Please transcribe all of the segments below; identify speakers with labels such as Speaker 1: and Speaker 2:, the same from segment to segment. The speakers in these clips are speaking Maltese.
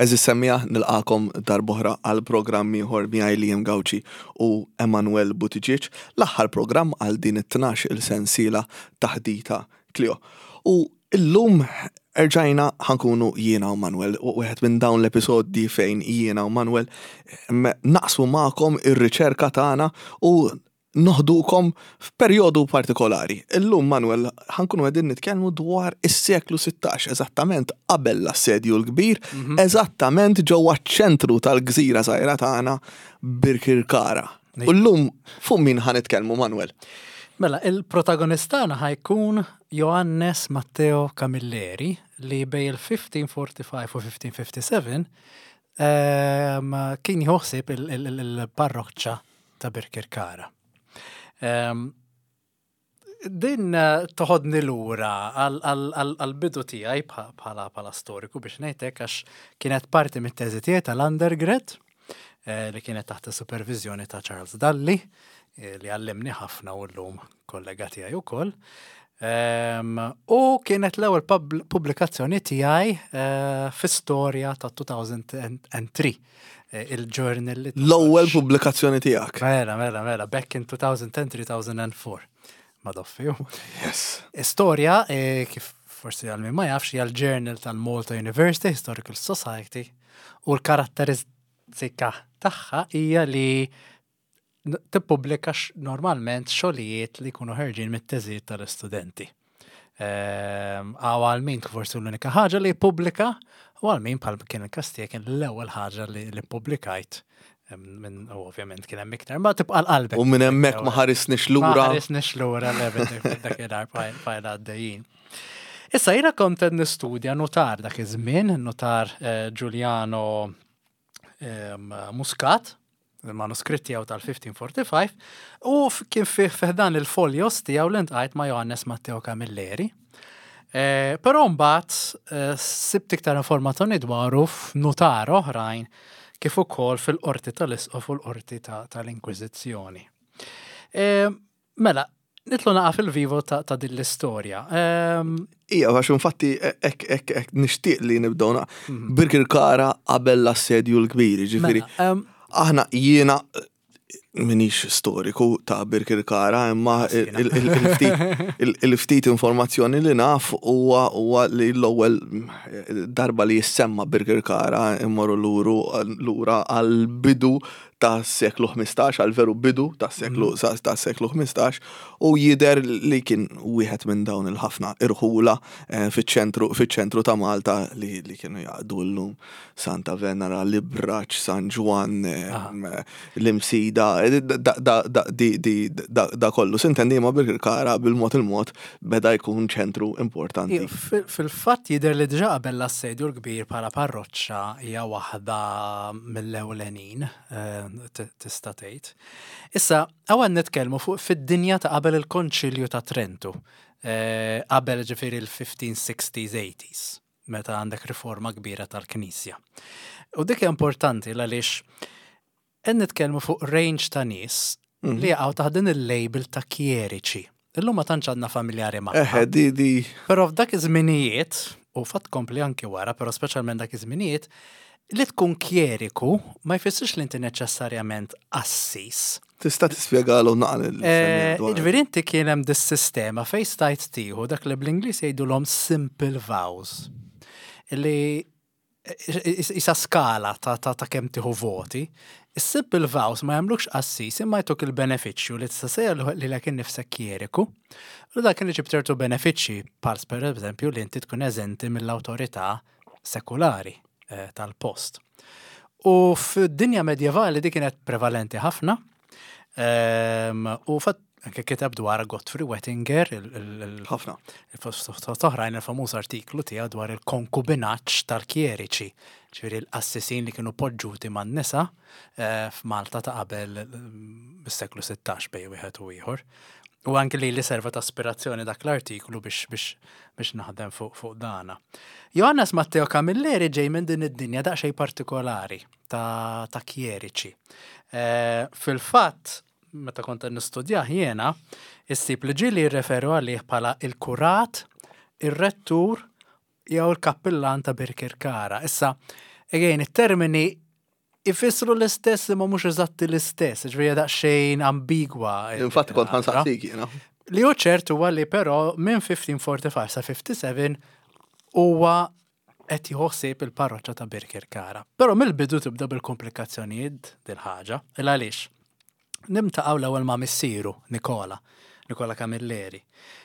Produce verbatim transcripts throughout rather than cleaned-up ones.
Speaker 1: Għeżież semmiegħa, nilqagħkom darb'oħra għal programm ieħor miegħi Liam Gauci u Emanuel Buttigieg, l-aħħar programm għal din it-tnax il-sensiela Taħdita Klio. U illum erġajna ħa nkunu jiena u Manuel, u wieħed minn dawn l-episodji fejn jiena u Manuel naqsmu magħkom ir-riċerka tagħna u noħdukom f'perjodu partikolari. Illum, Manuel, ħa nkunu qegħdin nitkellmu dwar is-seklu sittax, eżattament qabel l-Assedju l-Kbir, mhm. eżattament ġewwa ċentru tal-gżira żgħira tagħna, Birkirkara. U llum fuq min ħa nitkellmu, Manuel?
Speaker 2: Mela, il-protagonist tagħna ħa jkun Johannes Matteo Camilleri, li bejn il-elf ħamsmija u erbgħa u ħamsin u elf ħamsmija u ħamsa u ħamsin ehm, kien joħsib il-parroċċa ta' Birkirkara. Din eh, toħodni lura għal-bidu tiegħi bħala bħala storiku, biex ngħidlek, għax kienet parti mit-teżi tiegħi tal-undergrad eh, li kienet taħt supervizjoni ta' Charles Dalli, eh, li għallimni ħafna u llum kollega tiegħi ukoll. U kienet l-ewwel pubblikazzjoni tiegħi fi storja ta' elfejn u tlieta, eh, il-journal li
Speaker 1: L-ewwel pubblikazzjoni tiegħek.
Speaker 2: Mela, mela, mela, back in two thousand ten-two thousand four. Madoffi.
Speaker 1: Yes.
Speaker 2: Istorja, eh, kif forsi għal min ma jafx, hija l-journal tal-Malta University Historical Society u l-karatteristika tagħha hija li tippubblika normalment xogħlijiet li jkunu ħerġin mit-teżijiet tal-istudenti. Ehm, għaw għal min forsi l-unika ħaġa li jippubblika u għal min, bħal kien il-każ tiegħi, kien l-ewwel ħaġa li ppubblikajt minn, u ovvjament kien hemm iktar, ma tibqa' l-qalbek.
Speaker 1: U minn hemmhekk ma ħarisniex lura.
Speaker 2: Ma ħarisniex lura dakinhar, bqajna għaddejjin. Issa jiena kont qed nistudja nutar dak iż-żmien, nutar eh, Giuliano Muscat, il-manuskritt tiegħu tal-elf ħamsmija u erbgħa u ħamsin, u kien fih dan il-folios tiegħu li ltqajt ma' Johannes Matteo Camilleri. Eh, però mbagħad eh, sibt iktar informazzjoni dwaru f'nutar oħrajn, kif ukoll fil-qorti tal-Isqof u l-qorti tal-Inkwiżizzjoni. Eh, mela, nidħlu naqra fil-vivo ta', ta din l-istorja.
Speaker 1: Ija, għax infatti ek, ek, ek, nixtieq li nibdew mhm. Birkirkara qabel l-Assedju l-Kbir, ġifieri. Mela, aħna, jiena minix storiku ta' Birkirkara, imma il-ftit informazzjoni li naf huwa huwa li l-ewwel darba li jissemma Birkirkara immorru lura għal bidu ta' seklu ħmistax, għal veru bidu ta' seklu mm. ta' seklu ħmistax, u jider li kien wieħed minn dawn il-ħafna irħula eh, fiċ-ċentru fiċ-ċentru ta' Malta li, li kienu jaqdu llum Santa Venera, l-Ibraġ, San Ġwann, eh, l-Imsida, da kollu. Sintendi, ma Birkirkara bil-mod il-mod beda jkun ċentru importanti.
Speaker 2: Fil-fatt jidher li diġà qabel l-Assedju l-Kbir bħala parroċċa hija waħda mill-ewlenin, eh, tista' tgħid. Issa, hawn nitkellmu fuq fid-dinja ta' qabel il-Konċilju ta' Trentu, eh, qabel ġifieri il-elf ħamsmija u sittin, tmeninat, meta għandek riforma kbira tal-Knisja. U dik importanti għaliex qed nitkellmu fuq range ta' nies mhm. li jaqgħu taħt din il-label ta' kjeriċi. Illum ma tantx għandna familjari ma'.
Speaker 1: Eħe, di di.
Speaker 2: Però f'dak iż-żminijiet, u fatt kompli anki wara, però speċjalment dak iż-żminijiet, li tkun kjeriku ma jfissirx li inti neċessarjament qassis.
Speaker 1: Tista' tispjegalu naqra?
Speaker 2: Eh, ġifieri inti kien hemm dis-sistema fejn stajt tieħu dak li bl-Ingliż jgħidulhom simple vows. Li isa skala ta' ta' ta' kemm tieħu voti. Is-simple vows ma jagħmlukx qassis, imma jtuk il-benefiċċju li tista' ssejjaħ lilek innifsek kjeriku. U dak kien iġib ċertu benefiċċji, bħal per eżempju li inti tkun eżenti mill-awtorità sekulari eh, tal-post. U fid-dinja medjevali di kienet prevalenti ħafna. Ehm, u fatt anke kiteb dwar Godfrey Wettinger,
Speaker 1: ħafna.
Speaker 2: Fost oħrajn, il-famuż artiklu tiegħu dwar il-konkubinaġġ tal-kjeriċi, ġifieri l-qassisin li kienu poġġuti man-nisa eh, f'Malta ta' qabel is-seklu sittax, bejn wieħed u ieħor. U anke li li serva ta' aspirazzjoni dak l-artiklu biex biex biex naħdem fuq fuq dana. Johannes Matteo Camilleri ġej minn din id-dinja daqsxejn partikolari ta', ta' kjeriċi. Eh, Fil-fatt, meta kont nistudjah jiena, issib li ġieli jirreferu għalih bħala il-kurat, ir-rettur jew il-kappillan ta' Birkirkara. Issa, Again, it-termini ifissru l-istess imma mhux eżatti l-istess, ġifieri daqsxejn ambigwa.
Speaker 1: Infatti kont ħa nsaqsik jiena.
Speaker 2: Li hu ċert huwa li però minn mill-elf ħamsa mija u erbgħa u ħamsin sa ħamsa u sebgħin huwa qed jħossib il-parroċċa ta' Birkirkara. Però mill-bidu tibda bil-komplikazzjonijiet dil-ħaġa. Il għaliex? Niltaqgħu l-ewwel ma' missieru, Nikola, Nikola Camilleri,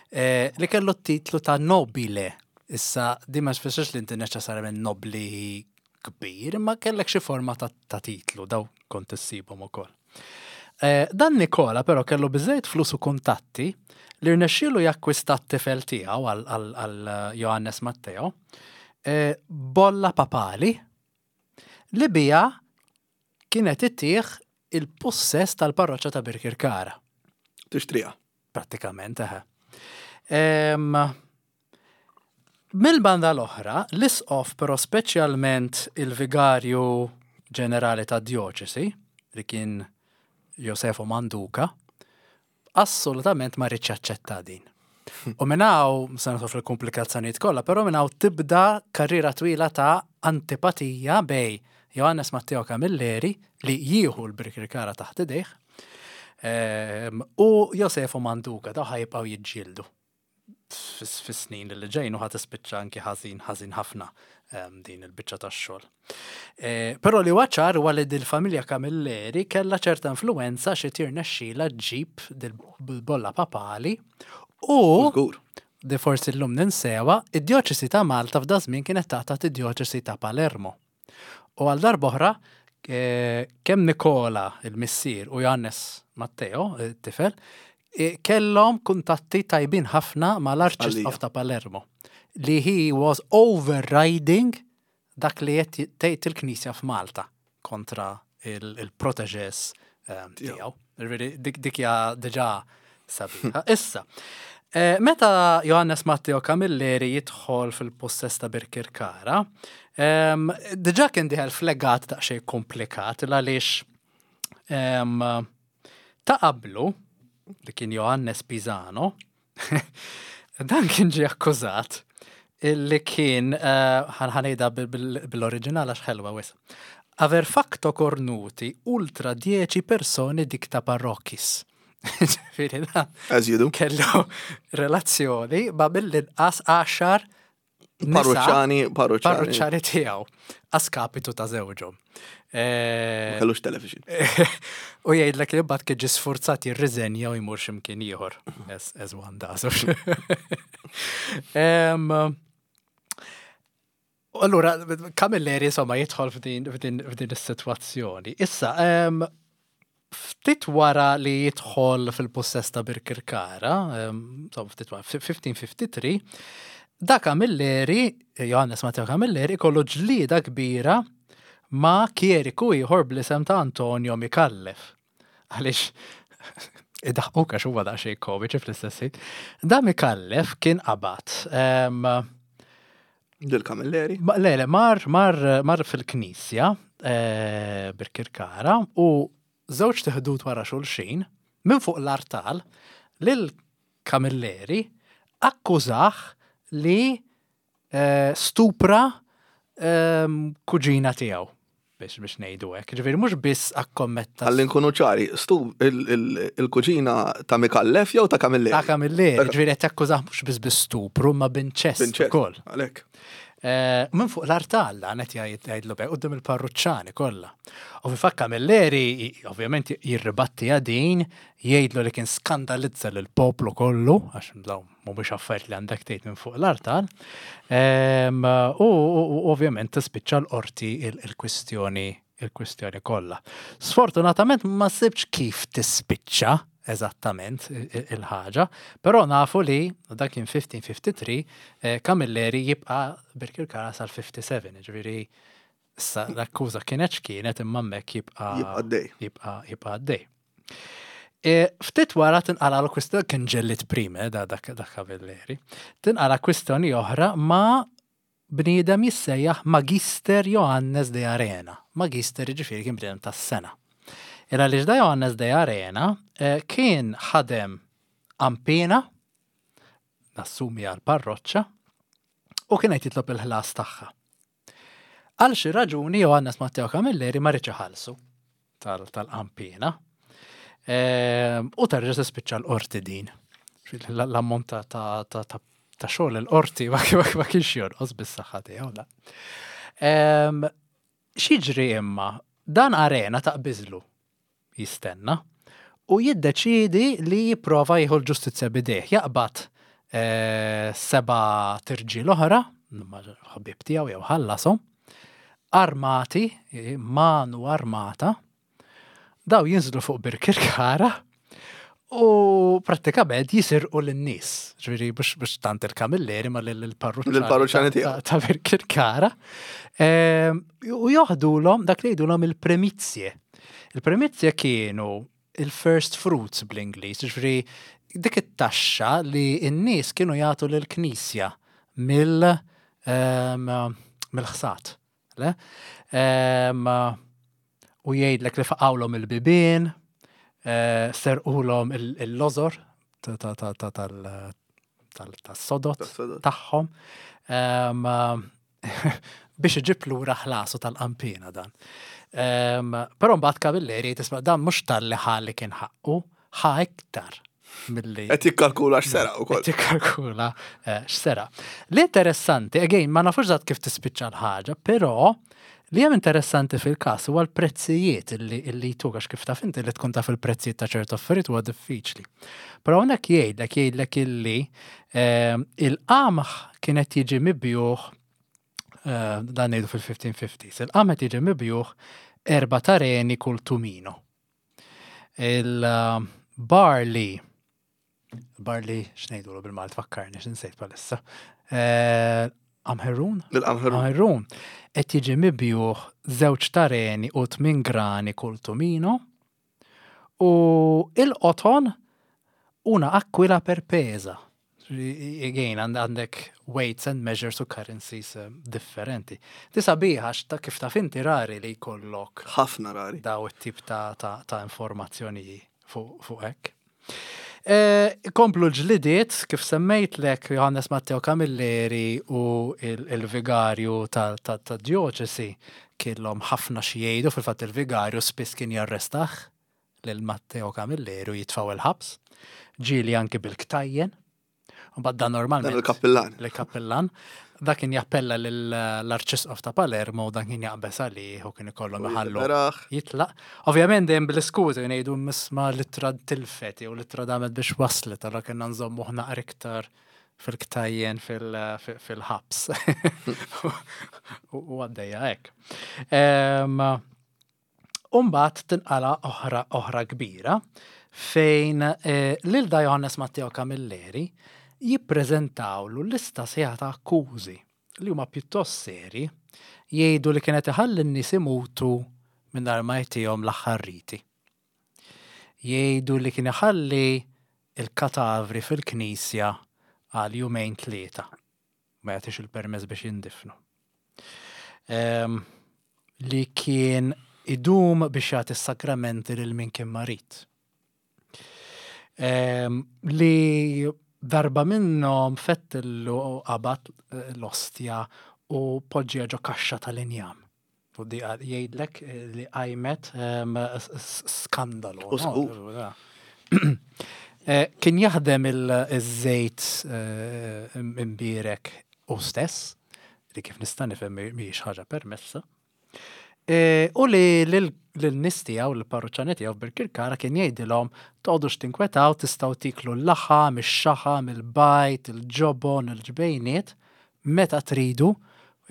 Speaker 2: eh, li kellu t-titlu ta' nobile. Issa, di ma tfissirx li inti neċessarjament nobli kbir, imma kellek xi forma ta', ta titlu, daw kont issibhom ukoll. Eh, dan Nikola però kellu biżejjed flus u kuntatti li rnexxielu jakkwista t-tifel tiegħu għal- għal għal Johannes Matteo eh, bolla papali li bija kienet ittih il-possess tal-parroċċa ta' Birkirkara.
Speaker 1: Tixtriha.
Speaker 2: Prattikament, eħe. Em, Mill-banda l-oħra, l-isqof però speċjalment il-vigarju ġenerali ta' djoċesi, li kien Josefo Manduca, assolutament ma riedx jaċċetta din. U minn hawn, se nidħol fil-komplikazzjonijiet kollha, però minn hawn tibda karriera twila ta' antipatija bejn Johannes Matteo Camilleri li jieħu l-Birkirkara taħt idejh ehm, u Josefo Manduca, daw ħa jibqgħu jiġġieldu fis-snin li ġejn u ħa tispiċċa anki ħażin ħażin ħafna ehm, din il-biċċa tax-xogħol. Eh, Però li huwa ċar huwa li dil-familja Camilleri kellha ċerta influenza xi tirnexxila ġġib dil-bolla papali u
Speaker 1: Żgur.
Speaker 2: di forsi l-lum ninsewa, id-djoċesi ta' Malta f'da żmien kienet taħt id-djoċesi ta' Palermo. U għal darb'oħra, eh, kemm Nikola, il-missier, u Johannes Matteo, il-tifel, eh, kellhom kuntatti tajbin ħafna mal-Arċisqof
Speaker 1: Għalija.
Speaker 2: ta' Palermo, li he was overriding dak li qed tgħid il-Knisja f'Malta kontra il-protégés tiegħu. Ġifieri, Dik dik hija diġà sabiħa. Issa, eh, meta Johannes Matteo Camilleri jidħol fil-possess ta' Birkirkara, em, diġà kien dieħel f'legat daqsxejn komplikat għaliex em, ta' qablu, li kien Johannes Pisano, dan kien ġie akkużat illi kien, eh, ħa ngħidha bil-oriġinal għax ħelwa wisq. Aver facto cornuti ultra dieci persone dicta parrochis. Ġifieri dan
Speaker 1: As you do.
Speaker 2: kellu relazzjoni ma mill-inqas għaxar nisa
Speaker 1: Parruċċani, parruċċani.
Speaker 2: parruċċani tiegħu a skapitu ta' żewġhom. Eh,
Speaker 1: Ma kellux television.
Speaker 2: U jgħidlek li mbagħad kien ġie sfurzat jirriżenja u jmur x'imkien ieħor. As, as one does. Em, Allura, Camilleri insomma jidħol f'din f'din f'din is-sitwazzjoni. Issa, em, ftit wara li jidħol fil-possess ta' Birkirkara, em, insomma, ftit wara, elf ħamsa mija u ħamsa u ħamsin, da Camilleri, Johannes Matteo Camilleri, kollu ġlida kbira ma' kjeriku ieħor bl-isem ta' Antonio Mikallef. Għaliex, idaħħuk għax huwa daqsxejn komiċi fl-istess ħin. Da Mikallef kien qabad. em,
Speaker 1: Dil Camilleri.
Speaker 2: Ma, le, le, mar, mar, mar fil-knisja, eh, Birkirkara, u żewġ ħdud wara xulxin, minn fuq l-artal, lil Camilleri akkużah li eh, stupra ehm, kuġina tiegħu biex biex ngħidu hekk. Ġifieri mhux biss akkommetta
Speaker 1: Ħalli nkunu ċari, stu il- il- il-kuġina ta' Mikallef jew ta' Camilleri?
Speaker 2: ta' Camilleri,
Speaker 1: Ta'
Speaker 2: ġifieri qed jakkużah mhux biss bi stupru, ma b'inċest
Speaker 1: B'inċest,
Speaker 2: ukoll.
Speaker 1: Għalek.
Speaker 2: Eh, Minn fuq l-artal dan qed jgħid jgħidlu bej quddiem il-parruċċani kollha. U fi fatt Camilleri ovvjament jirribatti din, jgħidlu li kien skandalizza lil poplu kollu, għax dawn mhumiex affarijiet li għandek tgħid minn fuq l-artal. Em, U u- u ovvjament tispiċċa l-qorti il- il-kwistjoni il-kwistjoni kollha. Sfortunatament ma sibx kif tispiċċa eżattament i- i- il-ħaġa, però nafu li dak kien elf ħamsa mija u ħamsa u ħamsin eh, Camilleri jibqa' Birkirkara sal-ħamsa u sebgħin, ġifieri issa l-akkuża kienet x'kienet imma hemmhekk jibqa'
Speaker 1: Jibqa' għaddej.
Speaker 2: jibqa' jibqa' għaddej. E, Ftit wara tinqala l-kwistjoni kien ġellit prime da dak dak Camilleri. Tinqala kwistjoni oħra ma' bniedem jissejjaħ Magister Johannes de Arena. Magister ġifieri kien bniedem tas-sengħa. Ira li da Johannes de Arena eh, kien ħadem ampina, nassumi għal parroċċa, u kien qed jitlob il-ħlas tagħha. Għal xi raġuni Johannes Matteo Camilleri ma riedx iħallsu tal-qampina. Ehm, u terġa' tispiċċa l-qorti din. L-ammont ta' ta' xogħol il-qorti ma kienx jonqos bis-saħħa tiegħu la. Ehm, x'jiġri imma dan arena taqbiżlu jistenna u jiddeċidi li jipprova jieħu l-ġustizzja b'idejh. Jaqbad eh, seba' tirġiel oħra, ħabib tiegħu jew ħallasom, armati, manu armata, daw jinżlu fuq Birkirkara u prattikament jisirqu lin-nies. Ġifieri biex tant il-Kamilleri ma
Speaker 1: lill-parruċċani
Speaker 2: tiegħu ta' Birkirkara. Ehm, u joħdulhom dak li jgħidulhom il-premizje. Il-premizje kienu il-first fruits bl-Ingliż, ġifieri dik it-taxxa li n-nies kienu jagħtu lill-Knisja mill ehm, mill-ħsat. Le? Ehm, u jgħidlek li faqawlhom il-bibien, eh, serqulhom il-lożor tas-sodot tagħhom. Ehm, biex iġib lura ħlasu tal-qampina dan. Però mbagħad Camilleri tisma' dan mhux talli ħa li kien ħaqqu, ħa iktar
Speaker 1: milli. Qed jikkalkula x'sera ukoll.
Speaker 2: Qed jikkalkula eh, x'sera. L-interessanti, again, ma nafux eżatt kif tispiċċa l-ħaġa, però li hemm interessanti fil-każ huwa l-prezzijiet illi illi jtuk għax kif taf inti li tkun taf il-prezzijiet ta' ċertu affarijiet huwa diffiċli. Però hawnhekk jgħidlek jgħidlek illi eh, il-qamħ kienet jiġi mibjuħ eh, dan ngħidu fil-fifteen fifties, il-qamħ qed jiġi mibjuħ erba' tareni kull tumino. Il-barley, barley, x'ngħidulu bil-Malti, fakkarni, x'insejt bħalissa. Eh, Qamħirrun?
Speaker 1: Il-qamħirrun.
Speaker 2: Qamħirrun. Qed jiġi mibjuħ żewġ tareni u tmien grani kull tumino. U il-qoton una aquila per pesa. Again, għandek weights and measures u currencies eh, differenti. Di sabiħa ta' kif taf inti rari li jkollok
Speaker 1: Ħafna rari.
Speaker 2: daw it-tip ta', ta, ta' informazzjoni fuq fu hekk. E, komplu ġlidiet, kif semmejtlek Johannes Matteo Camilleri u il-vigarju ta' ta, ta dioċesi kellhom ħafna xi jgħidu. Fil-fatt il-vigarju spiss kien jarrestah lil Matteo Camilleri u jitfgħu il-ħabs, ġieli anki bil-ktajjen. U bad dan normalment.
Speaker 1: Dan il-kappillan.
Speaker 2: Il-kappillan. Dak kien jappella l-Arċisqof ta' Palermo u dan kien jaqbeż għalih u kien ikollhom iħallu
Speaker 1: Beraħ.
Speaker 2: jitlaq. Ovvjament dejjem bl-iskużi ngħidu misma l-ittra tilfet jew l-ittra damet biex waslet, allura kienna nżommu naqra iktar fil-ktajjen fil-ħabs. U għaddejja hekk. Umbat tinqala oħra oħra kbira fejn eh, lil da Johannes Matteo Camilleri jippreżentawlu lista sħiħa ta' akkużi li huma pjuttost seri, jgħidu li kienet iħalli n-nies imutu mingħajr ma jtihom l-aħħar riti. Jgħidu li kien iħalli il-katavri fil-knisja għal jumejn tlieta. Ma jagħtix il-permess biex jindifnu. Em, li kien idum biex jagħti s-sakramenti lil min kien marid. Em, li darba minnhom fettillu qabad eh, l-ostja u poġġija ġo kaxxa tal-injam. U di jgħidlek eh, li qajmet em, s- s- skandalu.
Speaker 1: U
Speaker 2: no? Eh, Kien jaħdem il-żejt eh, imbierek u stess, li kif nista' nifhem mhijiex ħaġa permessa. Eh, U li lin-nies tiegħu, l-parruċċani tiegħu Birkirkara kien jgħidilhom toqgħodux tinkwetaw, tistgħu tiklu l-laħam, ix-xaħam, il-bajd, il-ġobon, il-ġbejniet, meta tridu,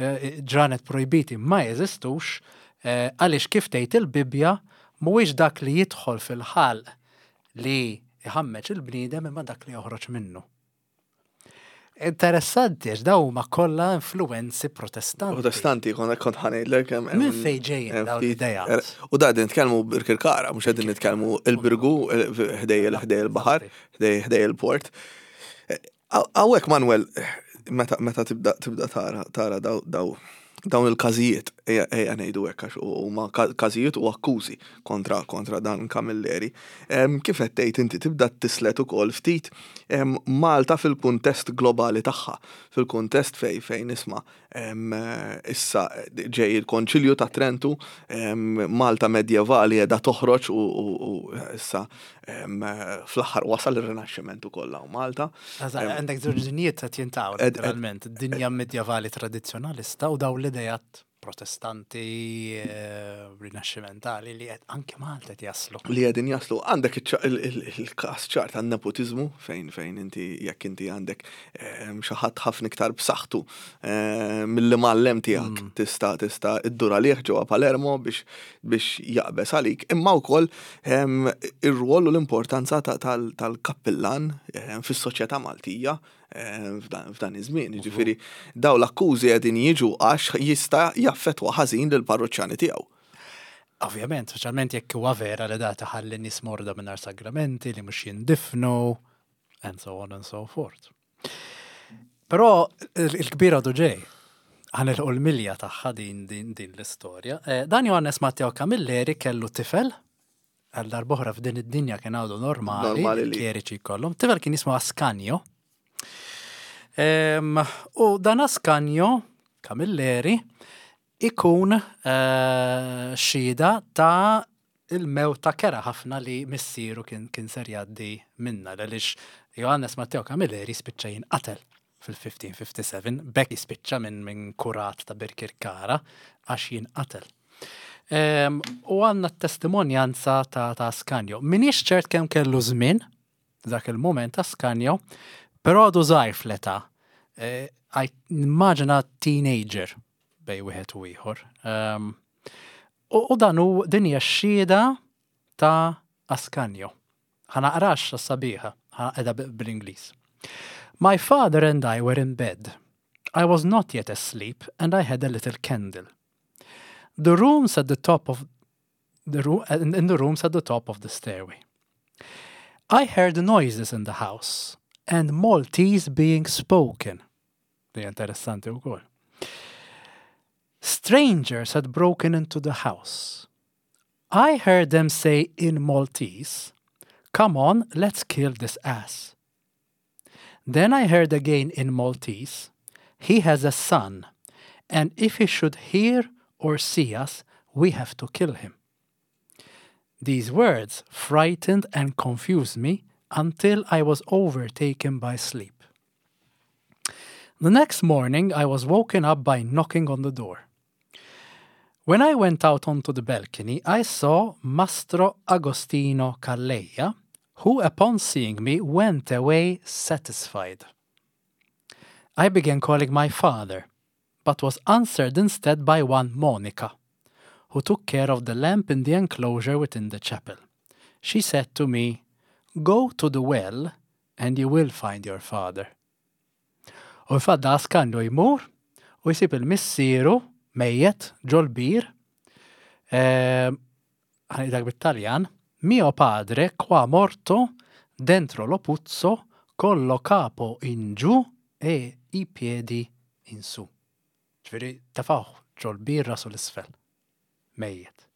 Speaker 2: eh, ġranet projbiti ma jeżistux, eh, għaliex kif tgħid il-Bibbja mhuwiex dak li jidħol fil-ħalq li iħammeġ il-bniedem imma dak li joħroġ minnu. Interessanti, għax daw huma kollha influenzi protestanti.
Speaker 1: Protestanti, kont kont ħa ngħidlek hemm.
Speaker 2: Minn fejn ġejjin
Speaker 1: hemm
Speaker 2: dawn
Speaker 1: ftit-
Speaker 2: l-idejat?
Speaker 1: er, U da qegħdin nitkellmu Birkirkara, mhux qegħdin nitkellmu il-Birgu ħdej ħdej il-baħar, ħdej ħdej il-port. Hawnhekk Manuel, meta meta tibda tibda tara tara daw daw dawn il-każijiet, Ejja ngħidu hekk għax huma każijiet u akkużi kontra kontra dan Camilleri. Kif qed tgħid inti, tibda tislet ukoll ftit Malta fil-kuntest globali tagħha, fil-kuntest fej fejn isma' issa ġej il-Konċilju ta' Trentu, Malta medjevali qiegħda toħroġ u issa fl-aħħar wasal ir-Rinaxximent ukoll hawn Malta.
Speaker 2: Għandek żewġ dinjiet qed jiltaqgħu naturalment, dinja medjevali tradizzjonalista u daw l-idejat Protestanti, eh, rinaxximentali li qed anke Malta qed jaslu.
Speaker 1: Li qegħdin jaslu. Għandek il-każ ċar tan-nepotizmu fejn fejn inti jekk inti għandek xi ħadd ħafna iktar b'saħħtu mill-imgħallem tiegħek mm. tista' tista' iddur għalih ġewwa Palermo biex biex jaqbeż għalik. Imma wkoll ir-rwol u l-importanza tal-kappillan fis-soċjetà Maltija f'dan iż-żmien. Jiġifieri daw l-akkużi qegħdin jiġu għax jista' jaffettwa ħażin lill-parruċċani tiegħu.
Speaker 2: Ovvjament, speċjalment jekk huwa vera li da taħalli nies morda mingħajr sagramenti li mhux jindifnu, and so on and so forth. Però il-kbira għadu ġej, ħa nilħqu l-milja tagħha din din din l-istorja. Eh, dan Johannes Matteo Camilleri kellu tifel, għal darb'oħra f'din id-dinja kien għadu normali, kjeriċi kollhom. Tifel kien jismu Ascanio. U dan Ascanio Camilleri ikun eh, xhieda ta' il-mewta kerha ħafna li missieru kien, kien ser jgħaddi minna, għaliex Johannes Matteo Camilleri spiċċa jinqatel fil-elf ħamsa mija u ħamsa u sebgħin, bekk jispiċċa minn min kurat ta' Birkirkara għax jinqatel. Um, u għandna t-testimonjanza ta', ta' Ascanio. Minix ċert kemm kellu żmien dak il-moment Ascanio, però għadu żgħir fl-età. E, Immaġina teenager bej wieħed u ieħor. Um, u, u dan hu din hija x-xhieda ta' Ascanio. Ħa naqraha sabiħa, qiegħda bl-Ingliż. "My father and I were in bed. I was not yet asleep and I had a little candle. The rooms at the top of the room in the rooms at the top of the stairway. I heard noises in the house and Maltese being spoken." Di interessanti wkoll. "Strangers had broken into the house. I heard them say in Maltese, 'Come on, let's kill this ass.' Then I heard again in Maltese, 'He has a son, and if he should hear or see us, we have to kill him.' These words frightened and confused me until I was overtaken by sleep. The next morning, I was woken up by knocking on the door. When I went out onto the balcony, I saw Mastro Agostino Calleja, who, upon seeing me, went away satisfied. I began calling my father, but was answered instead by one Monica, who took care of the lamp in the enclosure within the chapel. She said to me, 'Go to the well and you will find your father.'" U fadda Ascanio jmur u jsib il-missieru mejjet ġol-bir, ħa ngħidha bit-Taljan, "Mio padre qua morto dentro lo puzzo con lo capo in giù e i piedi in su." Ġifieri, tefgħuh ġol-bir rasu 'l isfel. Mejjet.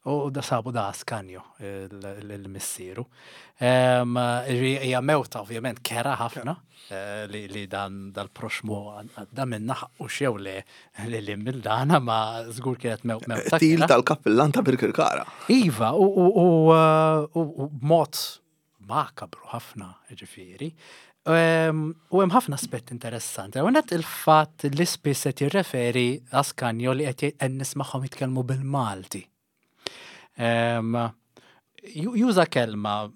Speaker 2: U da sabu da Ascanio, il-missieru. Hija mewta ovvjament kerha ħafna eh, li, li dan dal-proxmu għadda minna u xew li li li mill-dana ma żgur kienet mewta.
Speaker 1: Til tal-kappillan ta' Birkirkara.
Speaker 2: Iva, u, u, u, u, u mod makabru ħafna, ġifieri. U hemm ħafna aspett interessanti. Għonet il-fatt li spiss qed jirreferi Ascanio li qed nismagħhom jitkellmu bil-Malti. Juża kelma,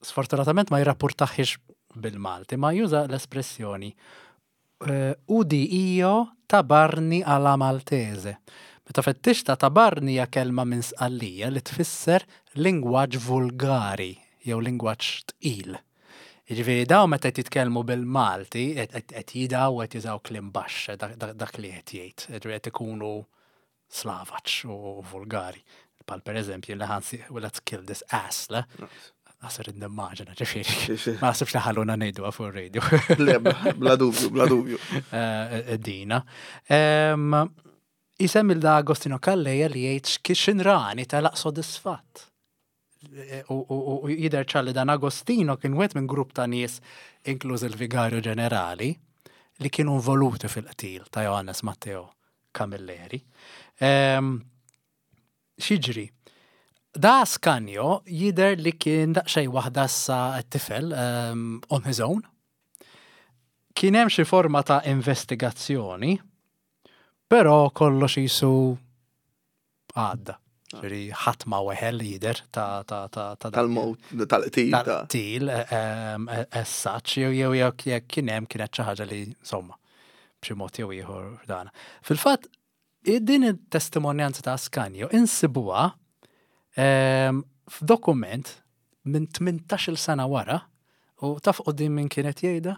Speaker 2: sfortunatament ma jirrapportaħiex bil-Malti, ma juża l-espressjoni eh, "Udi io tabarni alla Maltese". Meta fettix ta' tabarni hija kelma minn Sqallija li tfisser lingwaġġ vulgari jew lingwaġġ tqil. Jiġifieri daw meta qed jitkellmu bil-Malti qed jidaw u qed jużaw kliem baxx dak li qed jgħid, qed ikunu slavaċ u vulgari. Pal per eżempju li ħansi, "Let's kill this ass", le? Għasir id-nimmaġina, ġifieri. Ma nasibx li ħalluna ngħidu fuq radio.
Speaker 1: Le, bla dubju, bla dubju.
Speaker 2: Eh, dina. Isem il da Agostino Calleja li jgħid x'inrani telaq sodisfatt. U, u, u jidher ċar li dan Agostino kien wieħed minn grupp ta' nies, inkluż il-Vigarju Ġenerali, li kienu involuti fil-qtil ta' Johannes Matteo Camilleri. Um, X'jiġri? Da Ascanio jidher li kien daqsxejn waħda sa t-tifel um, on his own. Kien hemm xi forma ta' investigazzjoni, però kollox jisu għadda. Ġifieri ħadd ma weħel jidher ta' ta' ta' ta'
Speaker 1: Tal-mowt, tal-qtil. ta'
Speaker 2: tal-qtil as such, jew jew jew jekk kien hemm kienet xi ħaġa li insomma b'xi mod jew ieħor dana. Fil-fatt din it-testimonjanza ta' Ascanio insibuha em, f'dokument minn tmintax-il sena wara u taf quddiem min kienet jgħidha?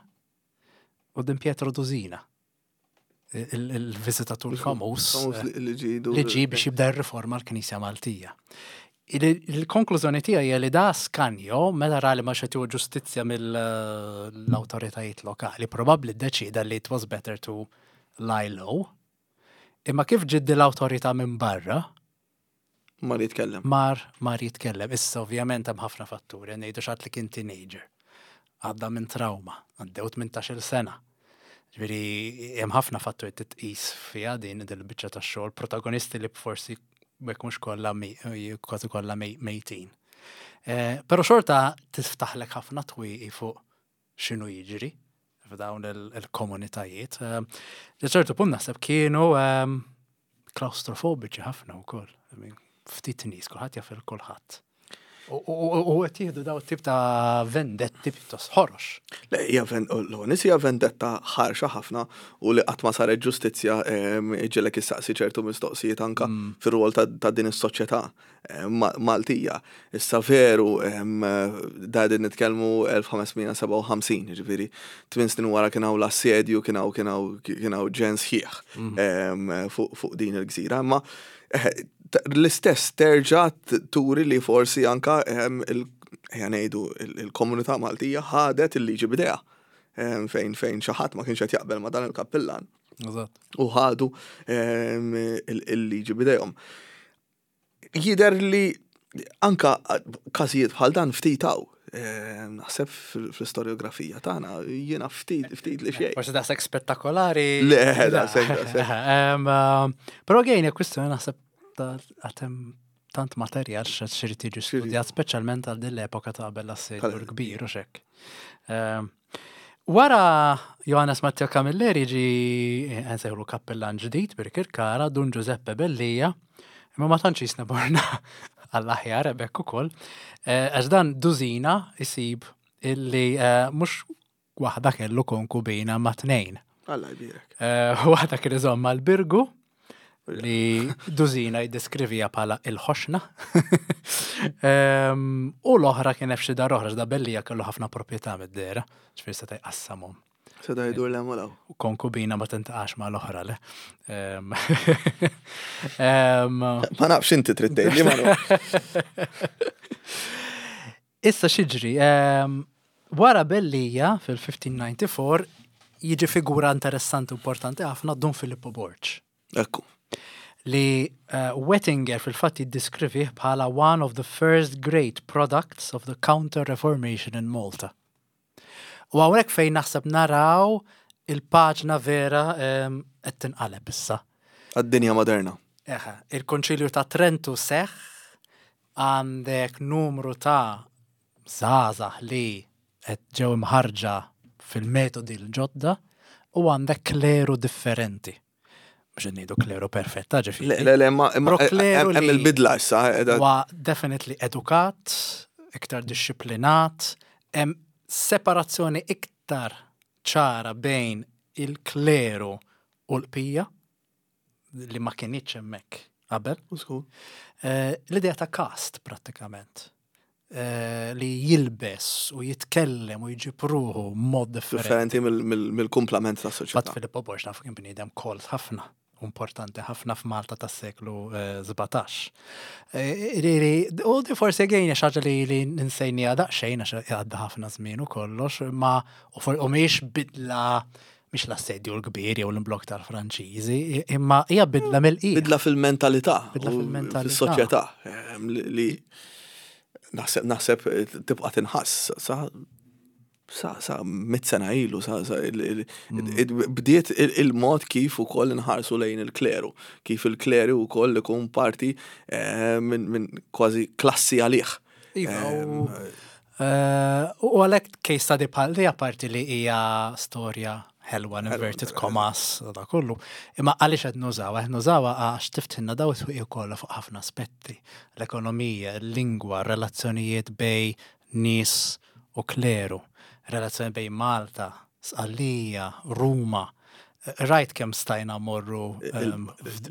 Speaker 2: Quddiem Pietro Dusina. Il-viżitatur famuż
Speaker 1: Famuż li- li ġidu.
Speaker 2: li ġi biex jibda r-riforma l-Knisja Maltija. Il- Il-konklużjoni tiegħi hija li da Ascanio, meta ra li ma xetu ġustizzja mill-awtoritajiet lokali, probabbli ddeċida li it was better to lie low. Imma kif ġiet l-awtorità minn barra,
Speaker 1: Ma li jitkellem.
Speaker 2: mar mar jitkellem. Issa ovvjament hemm ħafna fatturi, ngħidu xat li kien teenager. Għadda minn trauma, għaddew tmintax-il sena. Ġifieri hemm ħafna fatturi titqis fiha din il-biċċa tax-xogħol, protagonisti li forsi jekk mhux kollha mi- kważi kollha mej- mejtin. Eh, Però xorta tiftaħlek ħafna twieqi fuq x'inhu jiġri f'dawn il- il-komunitajiet. Eh, Ċertu punt naħseb kienu ehm, klaustrofobiċi ħafna wkoll. I mean, ftit nies, kulħadd jaf il kulħadd. U u- u qed jieħdu daw tip ta' vendetti pjuttost ħorox.
Speaker 1: Le, hija ven- l-għonis hija vendetta ħarxa ħafna u li qatt ma saret ġustizzja em, iġġegħlek issaqsi ċertu mistoqsijiet anka fir-rwol ta' ta' din is-soċjetà em, Ma- Maltija. Issa veru em, da din nitkellmu elf ħames mija sebgħa u ħamsin, ġifieri tmien snin wara kien hawn l-assedju, kien hawn kien hawn kien hawn ġens sħiħ em, fuq fuq din il-gżira, imma eh, t- l-istess terġa' t- turi li forsi anka em, il- ejja ngħidu il- il-komunità Maltija ħadet il-liġi b'idejha em, fejn fejn xi ħadd ma kienx qed jaqbel ma dan il-kappillan
Speaker 2: Eżatt.
Speaker 1: u ħadu em, il- il-liġi b'idejhom. Jidher li anka każijiet bħal dan ftit hawn. Em, Naħseb fil- fl-istoriografija tagħna jiena ftit ftit li xejn.
Speaker 2: Forsi daqshekk spettakolari.
Speaker 1: Le, daqshekk, daqshekk.
Speaker 2: Em, um, Però għejn, kwistjoni naħseb ta' għatem tant materjal x'irid jiġi studjat, speċjalment għal din l-epoka ta' qabel l-assedju
Speaker 1: Tal-
Speaker 2: l-kbir u xek. Em, Wara Johannes Matteo Camilleri ġi nsejħulu kappellan ġdid Birkirkara, Dun Giuseppe Bellija, imma ma tantx jisna borna għall-aħjar hemmhekk ukoll. Eh, Għax dan Dusina isib illi eh, mhux waħda kellu konkubina ma tnejn.
Speaker 1: Alla jbierek.
Speaker 2: Eh, Waħda kien iżomm l-Birgu li Dusina jiddeskrivija bħala il-ħoxna. Em, U l-oħra kien hemm xi dar oħra, da Bellija kellu ħafna proprjetà mid-dehra, ġifieri seta' jqassamhom.
Speaker 1: Seta' jdur l-hemm
Speaker 2: U konkubina ma tintaqax ma l-oħra, le. Em, em,
Speaker 1: Ma nafx inti trid tgħidli ma nafx.
Speaker 2: Issa x'jiġri, em, wara Bellija fil-elf ħames mija disgħa u disgħin jiġi figura interessanti u importanti ħafna, Dun Filippo Borg,
Speaker 1: Ekku.
Speaker 2: li uh, Wettinger fil-fatt jiddiskrivih bħala one of the first great products of the Counter-Reformation in Malta. U hawnhekk fejn naħseb naraw il-paġna vera em, qed tinqaleb issa.
Speaker 1: Għad-dinja moderna.
Speaker 2: Eħe, il-Konċilju ta' Trentu seħ, għandek numru ta' żgħażagħ li qed ġew imħarġa fil-metodi l-ġodda u għandek kleru differenti. Mhux qed ngħidu kleru perfetta, ġifieri.
Speaker 1: Le, le, le, ma imma
Speaker 2: Pro kleru
Speaker 1: hemm
Speaker 2: li-
Speaker 1: il-bidla issa. edha-
Speaker 2: Huwa definitely edukat, iktar disciplinat, hemm separazzjoni iktar ċara bejn il-kleru u l-bqija li ma kienitx hemmhekk qabel.
Speaker 1: Użgur.
Speaker 2: Eh, L-idea ta' kast prattikament. Eh, li jilbes u jitkellem u jġib ruħu mod differenti.
Speaker 1: Differenti mill- mill- mill-kumplament ta'
Speaker 2: Bat
Speaker 1: soċjetà.
Speaker 2: Filippo Borg nafu kien bniedem kolt ħafna, importanti ħafna f'Malta tas-seklu eh, sbatax. Eh, li- U di forsi għejna xaġa li li ninsejnija daqsxejn għax għadda ħafna żmien u kollox, ma u for- u mhijiex bidla Mhix l-Assedju l-Kbir jew l-imblokk tal-Franċiżi, imma hija bidla mill-qiegħ.
Speaker 1: Bidla fil-mentalità.
Speaker 2: Bidla
Speaker 1: u
Speaker 2: fil-mentalità.
Speaker 1: Fis-soċjetà ehm, li li naħseb naħseb tibqa' tinħass sa sa sa mitt sena ilu sa sa il- il- il- bdiet il- il-mod kif ukoll inħarsu lejn il-kleru, kif il-kleru wkoll ikun parti eh, minn min kważi klassi għalih.
Speaker 2: Iva, u eh, u għalhekk case study bħal di, apparti li hija storja ħelwa, inverted commas, da kollu. Imma għaliex qed nużawha? Qed nużawha għax tiftħilna daw it-twieqi kollha fuq ħafna aspetti. L-ekonomija, il-lingwa, relazzjonijiet bejn nies u kleru, relazzjoni bejn Malta, Sqallija, Ruma. Rajt kemm stajna morru um,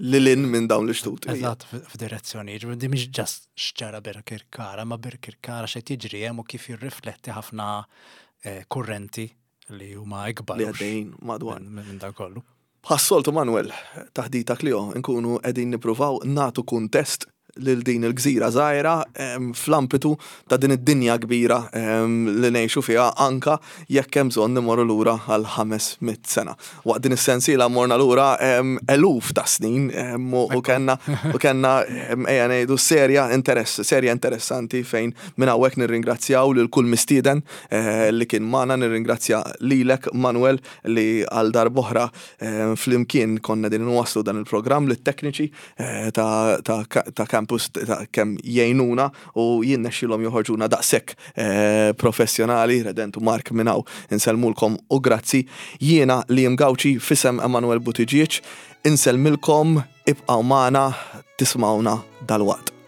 Speaker 1: Lil hinn minn dawn l-ixtut.
Speaker 2: Eżatt, f'direzzjoni. Ġifieri di mhix just x'ġara Birkirkara, ma Birkirkara x'qed jiġri hemm u kif jirrifletti ħafna eh, kurrenti li huma ikbar
Speaker 1: Li għaddejjin madwar.
Speaker 2: minn minn dan kollu.
Speaker 1: Bħas-soltu, Manuel, Taħdita Klio, nkunu qegħdin nippruvaw nagħtu kuntest lil din il-gżira żgħira em, fl-ambitu ta' din id-dinja kbira em, li ngħixu fiha, anka jekk hemm bżonn nimorru lura għal ħames mitt sena. Waqt din is-sensiela morna lura em, eluf ta' snin em, u u kellna u kellna em, ejja ngħidu serja interess, serja interessanti, fejn minn hawnhekk nirringrazzjaw lil kull mistieden eh, li kien magħna, nirringrazzja lilek, Manuel, li għal darb'oħra eh, flimkien konna din nwasslu dan il-programm, lit-tekniċi eh, ta' ta' ta' campus ta' kemm jgħinuna u jinnexxilhom joħorġuna daqshekk eh, professjonali, Redentu Mark, minn hawn insellmulkom u grazzi. Jiena Liam Gauci, f'isem Emanuel Buttigieg, insellmilkom, ibqgħu magħna, tismawna dalwaqt.